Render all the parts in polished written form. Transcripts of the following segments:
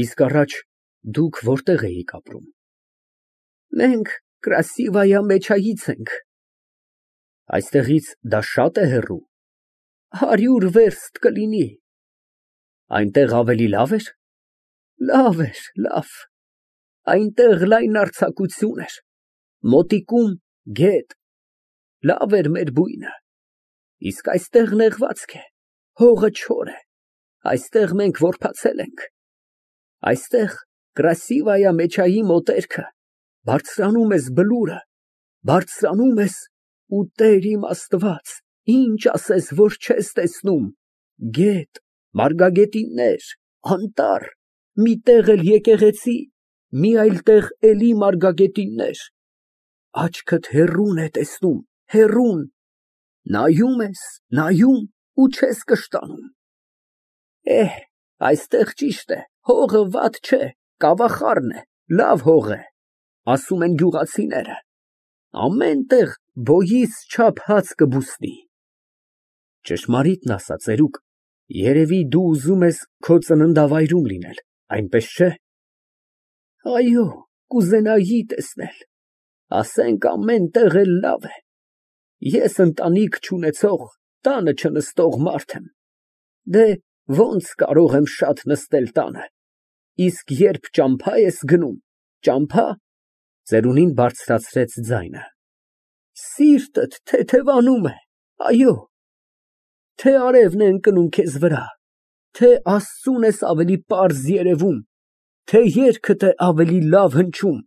Իսկ առաջ դուք որտե՞ղ էիք ապրում։ Մենք Կրասիվայա Մեչայից ենք։ Այստեղից դա շա՞տ է հեռու։ 100 վերստ կլինի։ Այնտեղ ավելի լավ էր։ Լավ էր, լավ։ Այնտեղ լայն արձակություն էր, մոտիկում գետ, լավ էր մեր բույնը։ Իսկ այստեղ նեղվածք է, հողը չոր է, այստեղ մենք որբացել ենք։ Այստեղ Կրասիվայա Մեչայի մոտերքը, բարձրանում ես բլուրը, բարձրանում ես ու Տեր իմ Աստված, ինչ ասես, որ չես տեսնում, գետ, մարգագետիններ, անտառ, մի տեղ էլ եկեղեցի, մի այլ տեղ էլի մարգագետիններ, աչքդ հեռուն է տեսնում, հեռուն, նայում ես, նայում ու չես կշտանում։ Այստեղ ճիշտ է, հողը վատ չէ, կավախառն է, լավ հող է, ասում են գյուղացիները, ամեն տեղ բոյիս չափ հաց կբուսնի։ Ճշմարիտն ասա, ծերուկ, երևի դու ուզում ես քո ծննդավայրում լինել, այնպես չէ։ Այո, կուզենայի տեսնել, ասենք ամեն տեղ էլ լավ է։ Ես ընտանիք չունեցող, տանը չնստող մարդ եմ։ Դե ոնց կարող եմ շատ նստել տանը։ Իսկ երբ ճամփա ես գնում, ճամփա, ծերունին բարձրացրեց ձայնը, սիրտդ թեթևանում է, այո, թե արևն է ընկնում քեզ վրա, թե Աստծուն ես ավելի պարզ երևում, թե երգդ է ավելի լավ հնչում,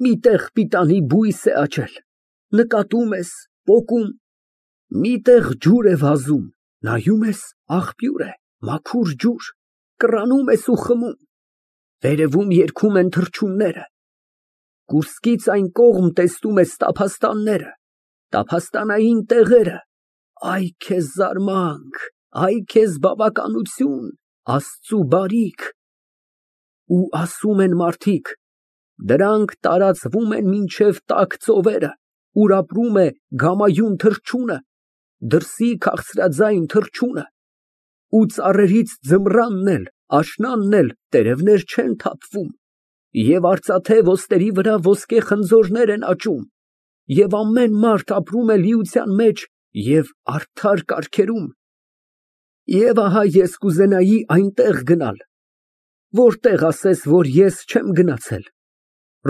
մի տեղ պիտանի բույս է աճել, նկատում ես, պոկում, մի տեղ ջուր է վազում, նայում ես, աղբյուր է, մաքուր ջուր, կռանում ես ու խմում, վերևում երգում են թռչունները, կուրծքից այն կողմ տեսնում ես տափաստանները, տափաստանային տեղերը, այ քեզ զարմանք, այ քեզ բավականություն, Աստծու բարիք։ Ու ասում են մարդիկ, դրանք տարածվում են մինչև տաք ծովերը, ուր ապրում է գամայուն թռչունը, դրսի քաղցրաձայն թռչունը, ու ծառերից ձմռանն էլ, աշնանն էլ տերևներ չեն թափվում, և արծաթե ոսկերի վրա ոսկե խնձորներ են աճում, և ամեն մարդ ապրում է լիության մեջ և արդար կարգերում։ Եվ ահա ես կուզենայի այնտեղ գնալ, որտեղ ասես, որ ես չեմ գնացել,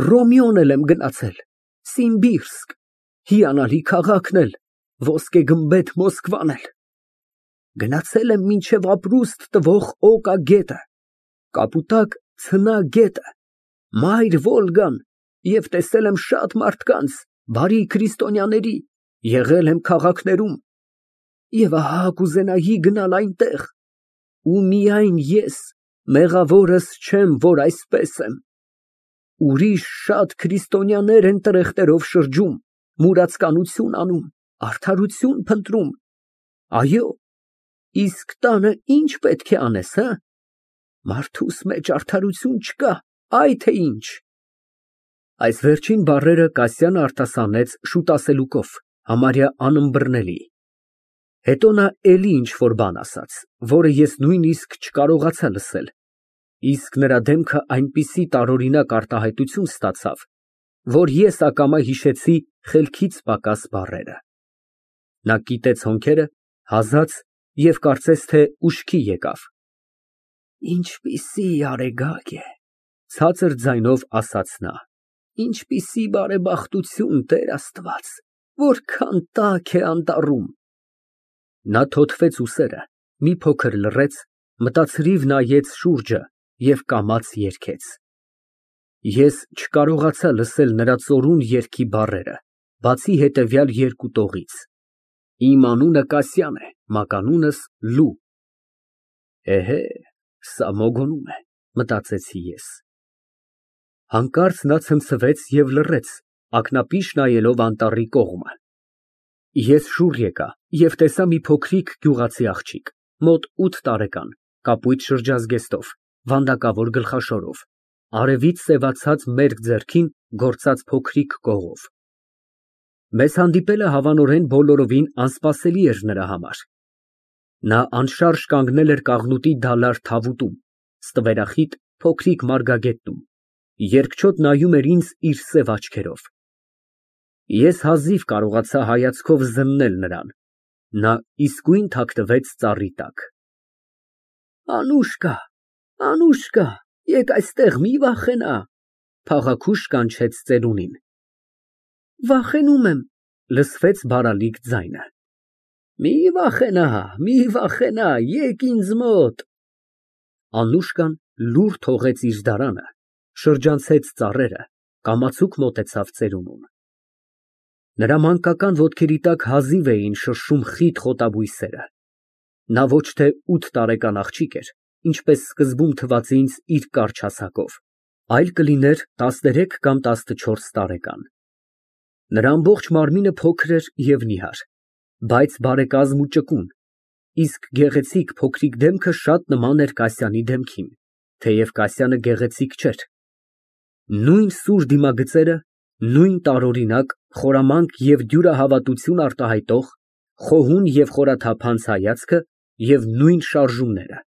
Ռոմիոն էլ եմ գնացել, Սիմբիրսկ, հիանալի քաղաքն էլ, ոսկե գմբեթ Մոսկվան էլ, գնացել եմ մինչև ապրուստ տվող Օկա գետը, Կապուտակ ցնա գետը, մայր Վոլգան և տեսել եմ շատ մարդկանց, բարի քրիստոնյաների, եղել եմ քաղաքներում, և ահա կուզենայի գնալ այնտեղ, ու միայն ես մեղավորս չեմ, որ այսպես եմ, ուրիշ շատ քրիստոնյաներ են տրեխտերով շրջում, մուրացկանություն անում, արդարություն փնտրում, այո, իսկ տանը ինչ պետք է անես, մարդուս մեջ արդարություն չկա, այ թե ինչ։ Այս վերջին բառերը Կասյանը արտասանեց շուտ ասելուկով, համարյա անըմբռնելի։ Հետո նա էլի ինչ֊որ բան ասաց, որը ես նույնիսկ չկարողացա լսել, իսկ նրա դեմքը այնպիսի տարօրինակ արտահայտություն ստացավ, որ ես ակամա հիշեցի խելքից պակաս բառերը։ Նա կիտեց հոնքերը, հազաց և կարծես թե ուշքի եկավ։ Ինչպիսի արեգակ է, ցածր ձայնով ասաց նա, ինչպիսի բարեբախտություն, Տեր Աստված, որքան տաք է անտառում։ Նա թոթվեց ուսերը, մի փոքր լռեց, մտածրիվ նայեց շուրջը և կամաց երգեց։ Ես չկարողացա լսել նրա ծորուն երգի բառերը, բացի հետևյալ երկու տողից. Իմ անունը Կասյան է, մականունս Լու։ Էհե, սա մոգոնում է, մտածեցի ես։ Հանկարծ նա ցնցվեց և լռեց, ակնապիշ նայելով անտառի կողմը։ Ես շուռ եկա և տեսա մի փոքրիկ գյուղացի աղջիկ, մոտ 8 տարեկան, կապույտ շրջազգեստով, վանդակավոր գլխաշորով, արևից սևացած մերկ ձեռքին գործած փոքրիկ կողով։ Մեզ հանդիպելը հավանորեն բոլորովին անսպասելի էր նրա համար։ Նա անշարժ կանգնել էր կաղնուտի դալար թավուտում, ստվերախիտ, փոքրիկ մարգագետնում, երկչոտ նայում էր ինձ իր սև աչքերով։ Ես հազիվ կարողացա հայացքով զննել նրան, նա իսկույն թաքնվեց ծառի տակ։ Անուշկա, Անուշկա, եկ այստեղ, մի վախենա, փաղաքուշ կանչեց ծերունին։ Վախենում եմ, լսվեց բարալիկ ձայնը։ Մի վախենա, եկ ինձ մոտ։ Անուշկան լուռ թողեց իր դարանը, շրջանցեց ծառերը, կամացուկ մոտեցավ ծերունուն։ Նրա մանկական ոտքերի տակ հազիվ էին շրշում խիտ խոտաբույսերը։ Նա ոչ թե 8 տարեկան աղջիկ էր, ինչպես սկզբում թվաց ինձ իր կարճ հասակով, այլ կլիներ 13 կամ 14 տարեկան։ Նրա ամբողջ մարմինը փոքր էր և նիհար, բայց բարեկազմ ու ճկուն, իսկ գեղեցիկ փոքրիկ դեմքը շատ նման էր Կասյանի դեմքին, թեև Կասյանը գեղեցիկ չէր։ Նույն սուր դիմագծերը, նույն տարօրինակ, խորամանկ և դյուրահավատություն արտահայտող, խոհուն և խորաթափանց հայացքը և նույն շարժումները։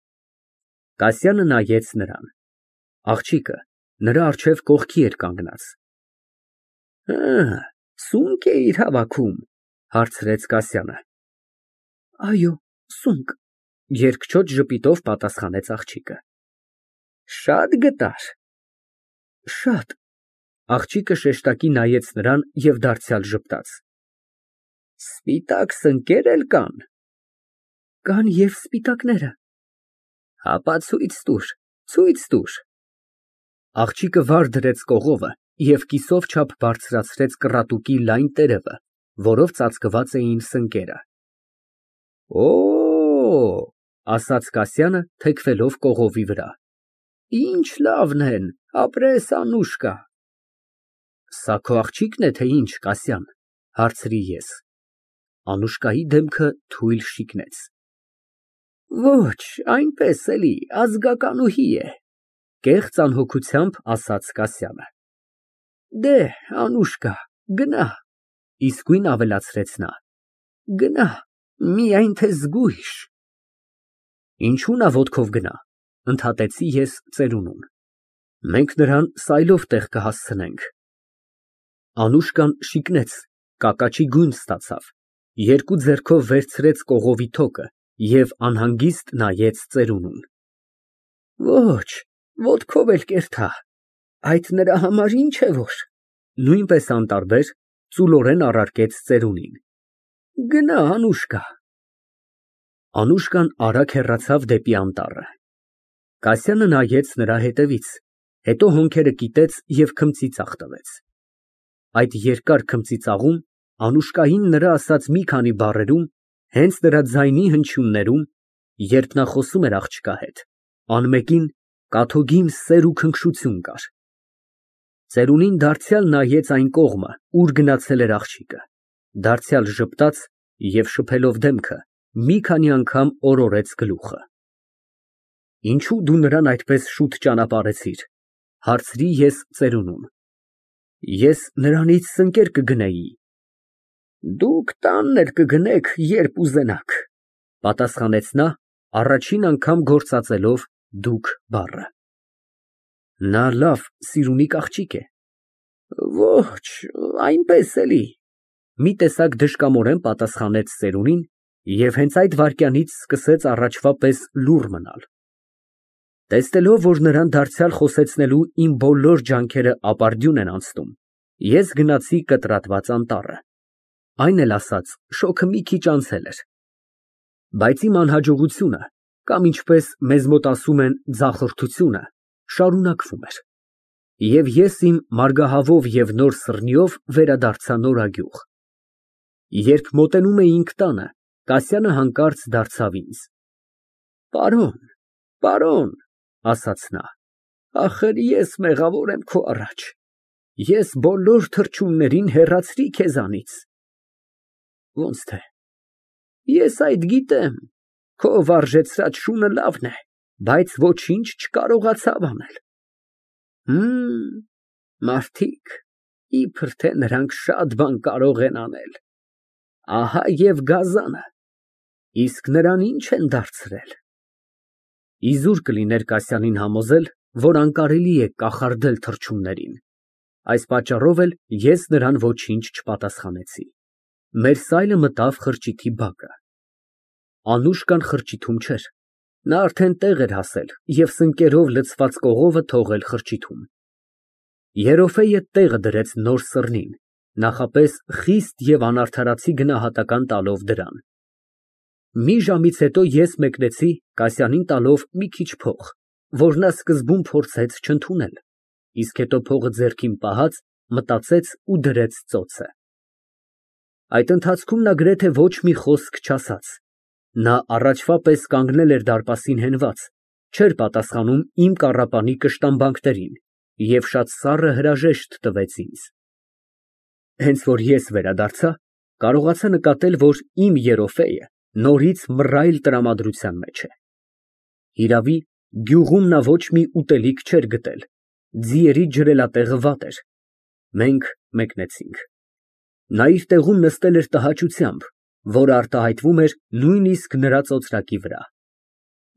Կասյանը նայեց նրան։ Աղջիկը նրա առջև կողքի էր կանգնած։ Սունկ էիր հավաքում, հարցրեց Կասյանը։ Այո, սունկ, երկչոտ ժպիտով պատասխանեց աղջիկը։ Շատ գտար։ Շատ։ Աղջիկը շեշտակի նայեց նրան և դարձյալ ժպտաց։ Սպիտակ սնկեր էլ կան։ Կան և սպիտակները։ Հապա ցույց տուր։ Աղջիկը վար դրեց կողովը և կիսով չափ բարձրացրեց կռատուկի լայն տերևը, որով ծածկված էին սնկերը։ Օ, ասաց Կասյանը, թեքվելով կողովի վրա, ինչ լավն են, ապրես, Անուշկա։ Սա քո աղջիկն է, թե ինչ, Կասյան, հարցրի ես։ Անուշկայի դեմքը թույլ շիկնեց։ Ոչ, այնպես էլի, ազգականուհի է, կեղծ անհոգությամբ ասաց Կասյանը։ Դե, Անուշկա, գնա, իսկույն ավելացրեց նա, գնա, միայն թե զգույշ։ Ինչու նա ոտքով գնա, ընդհատեցի ես ծերունուն։ Մենք նրան սայլով տեղ կհասցնենք։ Անուշկան շիկնեց, կակաչի գույն ստացավ, երկու ձեռքով վերցրեց կողովի թոկը և անհանգիստ նայեց ծերունուն։ Ոչ, ոտքով էլ կերթա, այդ նրա համար ինչ է որ, նույնպես անտարբեր ծուլորեն առարկեց ծերունին։ Գնա, Անուշկա։ Անուշկան արագ հեռացավ դեպի անտառը։ Կասյանը նայեց նրա հետևից, հետո հոնքերը կիտեց և քմծիծաղ տվեց։ Այդ երկար քմծիծաղում, Անուշկային նրա ասած մի քանի բառերում, հենց նրա ձայնի հնչյուններում, երբ նա խոսում էր աղջկա հետ, անմեկին կաթոգին սեր ու քնքշություն կար։ Ծերունին դարձյալ նայեց այն կողմը, ուր գնացել էր աղջիկը, դարձյալ ժպտաց և շփելով դեմքը, մի քանի անգամ օրորեց գլուխը։ Ինչո՞ւ դու նրան այդպես շուտ ճանապարհեցիր, հարցրի ես ծերունուն։ Ես նրանից սնկեր կգնեի։ Դուք տանն էլ կգնեք, երբ ուզենաք, պատասխանեց նա, առաջին անգամ գործածելով դուք բառը։ Նա լավ սիրունիկ աղջիկ է։ Ոչ, այնպես էլի, մի տեսակ դժկամորեն պատասխանեց ծերունին և հենց այդ վայրկյանից սկսեց առաջվա պես լուռ մնալ։ Տեսնելով, որ նրան դարձյալ խոսեցնելու իմ բոլոր ջանքերը ապարդյուն են անցնում, ես գնացի կտրատված անտառը։ Այն էլ ասած, շոգը մի քիչ անցել էր։ Բայց իմ անհաջողությունը, կամ ինչպես մեզ մոտ ասում են ձախորդությունը, շարունակվում էր։ Եվ ես իմ մարգահավով և նոր սըրնիով վերադարձա նորագյուղ։ Երբ մոտենում էինք տանը, Կասյանը հանկարծ դարձավ ինձ. Պարոն, ասաց նա, ախր ես մեղավոր եմ քո առաջ, ես բոլոր թռչուններին հեռացրի քեզանից։ Ոնց թե։ Ես այդ գիտեմ, քո վարժեցրած շունը լավն է, բայց ոչինչ չկարողացավ անել։ Մարդիկ, իբր թե նրանք շատ բան կարող են անել։ Ահա և գազանը, իսկ նրան ինչ են դարձրել։ Իզուր կլիներ Կասյանին համոզել, որ անկարելի է կախարդել թռչուններին։ Այս պատճառով էլ ես նրան ոչինչ չպատասխանեցի։ Մեր սայլը մտավ խրճիթի բակը։ Անուշկան խրճիթում չէր։ Նա արդեն տեղ էր հասել և սնկերով լցված կողովը թողել խրճիթում։ Երոֆեյը տեղը դրեց նոր սռնին, նախապես խիստ և անարդարացի գնահատական տալով դրան։ Մի ժամից հետո ես մեկնեցի Կասյանին տալով մի քիչ փող, որ նա սկզբում փորձեց չընդունել, իսկ հետո փողը ձեռքին պահած, մտածեց ու դրեց ծոցը։ Այդ ընթացքում նա գրեթե ոչ մի խոսք չասաց։ Նա առաջվա պես կանգնել էր դարպասին հենված, չէր պատասխանում իմ կառապանի կշտամբանքներին և շատ սառը հրաժեշտ տվեց ինձ։ Հենց որ ես վերադարձա, կարողացա նկատել, որ իմ Երոֆեյը նորից մռայլ տրամադրության մեջ է։ Հիրավի, գյուղում նա ոչ մի ուտելիք չէր գտել, ձիերի ջրելատեղը վատ էր։ Մենք մեկնեցինք։ Նա իր տեղում նստել էր տհաճությամբ, որը արտահայտվում էր նույնիսկ նրա ծոծրակի վրա։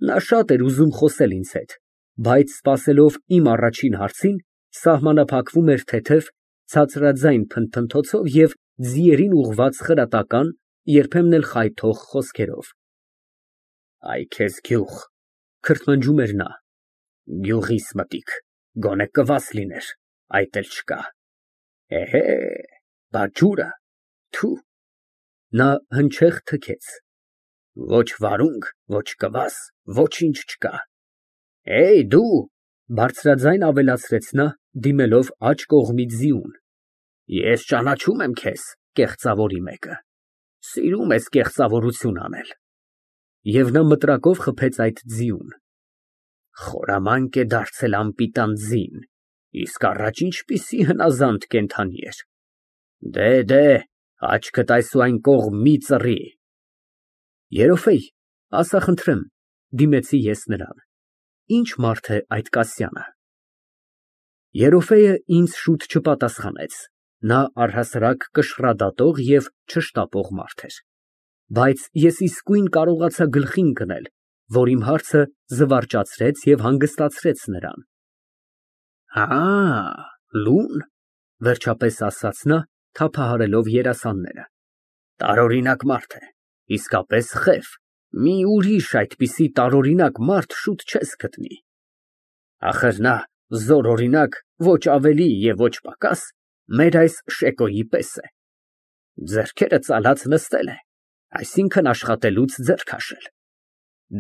Նա շատ էր ուզում խոսել ինձ հետ, բայց սպասելով իմ առաջին հարցին, սահմանափակվում էր թեթև, ցածրաձայն փնթփնթոցով և ձիերին ուղղված խրատական, երբեմն էլ խայթող խոսքերով։ Այ քեզ գյուղ, քրթմնջում էր նա, գյուղիս մտիկ, գոնե կվաս լիներ, այդ էլ չկա, էհե, բա ջուրը, թու։ Նա հնչեղ թքեց։ Ոչ վարունգ, ոչ կվաս, ոչինչ չկա։ Դու, բարձրաձայն ավելացրեց նա, դիմելով աջ կողմի ձիուն, ես ճանաչում եմ քեզ, կեղծավորի մեկը, սիրում ես կեղծավորություն անել։ Եվ նա մտրակով խփեց այդ ձիուն։ Խորամանկ է դարձել անպիտան ձին, իսկ առաջ ինչպիսի հնազանդ կենդանի էր։ Դե, աչքդ այսուայն կողմ մի ծռի։ Երոֆեյ, ասա խնդրեմ, դիմեցի ես նրան, ի՞նչ մարդ է այդ Կասյանը։ Երոֆեյը ինձ շուտ չպատասխանեց, նա առհասարակ կշռադատող և չշտապող մարդ էր։ Բայց ես իսկույն կարողացա գլխի ընկնել, որ իմ հարցը զվարճացրեց և հանգստացրեց նրան։ Լուն, վերջապես ասաց նա, թափահարելով երասանները, տարօրինակ մարդ է, իսկապես խև, մի ուրիշ այդպիսի տարօրինակ մարդ շուտ չես գտնի։ Ախր նա զորօրինակ, ոչ ավելի և ոչ պակաս, մեր այս Շեկոյի պես է։ Ձեռքերը ծալած նստել է, այսինքն աշխատելուց ձեռ քաշել։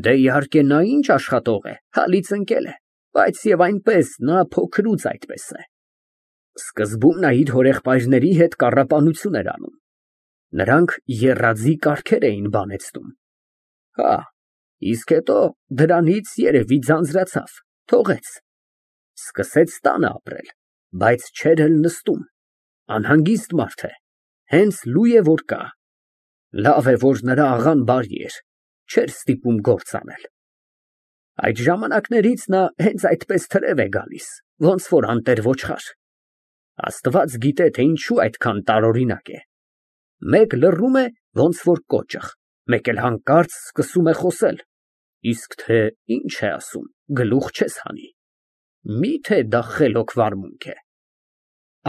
Դե, իհարկե, նա ինչ աշխատող է, հալից ընկել է, բայց և այնպես նա փոքրուց այդպես է։ Սկզբում նա իր հորեղբայրների հետ կառապանություն էր անում։ Նրանք եռաձի կառքեր էին բանեցնում։ Իսկ հետո դրանից երևի ձանձրացավ, թողեց։ Սկսեց տանը ապրել, բայց չէր էլ նստում, անհանգիստ մարդ է, հենց լույ է, որ կա։ Լավ է, որ նրա աղան բարի էր, չէր ստիպում գործ անել։ Այդ ժամանակներից նա հենց այդպես թրև է գալիս, ոնց որ անտեր ոչխար։ Աստված գիտե, թե ինչու այդքան տարօրինակ է։ Մեկ լռում է, ոնց որ կոճղ, մեկ էլ հանկարծ սկսում է խոսել, իսկ թե ինչ է ասում, գլուխ չես հանի։ Մի՞թե դա խելոք վարմունք է։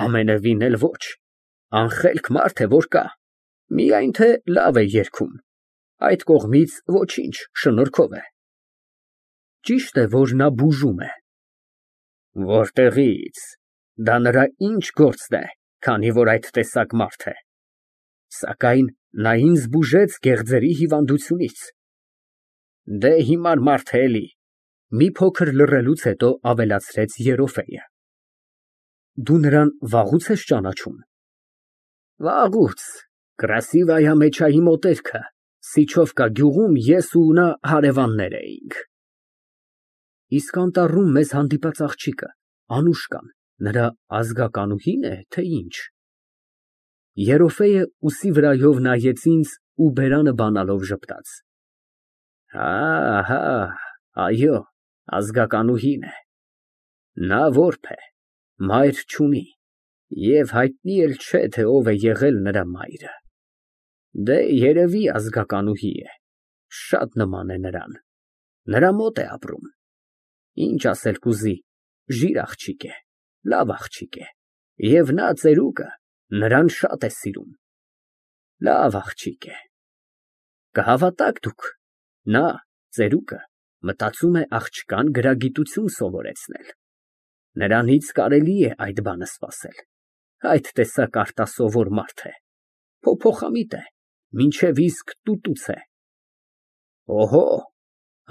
Ամենևին էլ ոչ, անխելք մարդ է, որ կա, միայն թե լավ է երգում, այդ կողմից ոչինչ, շնորհքով է։ Ճիշտ է, որ նա բուժում է։ Որտեղի՞ց, դա նրա ինչ գործն է, քանի որ այդ տեսակ մարդ է։ Սակայն նա ինձ բուժեց գեղձերի հիվանդությունից։ Դե, հիմար մարդ է էլի, մի փոքր լռելուց հետո ավելացրեց Երոֆեյը։ Դու նրան վաղուց ես ճանաչում։ Վաղուց, Կրասիվայա Մեչայի մոտերքը, Սիչովկա գյուղում ես ու նա հարևաններ էինք։ Իսկ անտառում մեզ հանդիպած աղջիկը, Անուշկան, նրա ազգականուհի՞ն է, թե ինչ։ Երոֆեյը ուսի վրայով նայեց ինձ ու բերանը բանալով ժպտաց։ Այո, ազգականուհին է։ Նա որբ է, մայր չունի, և հայտնի էլ չէ, թե ով է եղել նրա մայրը։ Դե, երևի ազգականուհի է, շատ նման է նրան, նրա մոտ է ապրում։ Ինչ ասել կուզի, Ժիր աղջիկ է, լավ աղջիկ է, և նա ծերուկը նրան շատ է սիրում։ Լավ աղջիկ է։ Կհավատաք դուք, նա, ծերուկը, մտածում է աղջկան գրագիտություն սովորեցնել։ Նրանից կարելի է այդ բանը սպասել, այդ տեսակ արտասովոր մարդ է, փոփոխամիտ է, մինչև իսկ տուտուց է։ Օհո։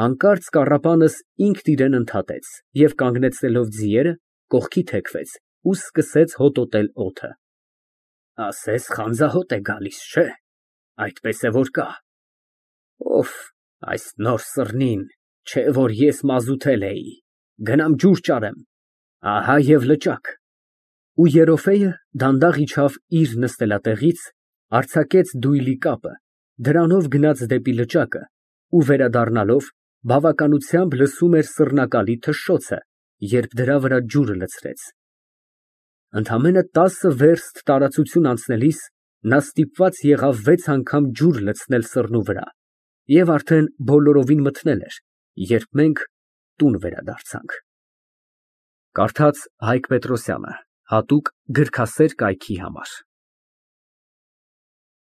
Հանկարծ կառապանս ինքն իրան ընդհատեց և կանգնեցնելով ձիերը, կողքի թեքվեց ու սկսեց հոտոտել օդը։ Ասես խանձահոտ է գալիս, չէ՞։ Այդպես է որ կա։ Օֆ, այս նոր սռնին, չէ որ ես մազութել էի, գնամ ջուր ճարեմ, ահա և լճակ։ Ու Երոֆեյը դանդաղ իջավ իր նստելատեղից, արձակեց դույլի կապը, դրանով գնաց դեպի լճակը ու վերադառնալով բավականությամբ լսում էր սռնակալի թշշոցը, երբ դրա վրա ջուրը լցրեց։ Ընդամենը 10 վերստ տարածություն անցնելիս նա ստիպված եղավ 6 անգամ ջուր լցնել սռնու վրա և արդեն բոլորովին մթնել էր, երբ մենք տուն վերադարձանք։ Կարդաց Հայկ Պետրոսյանը, հատուկ գրքասեր կայքի համար։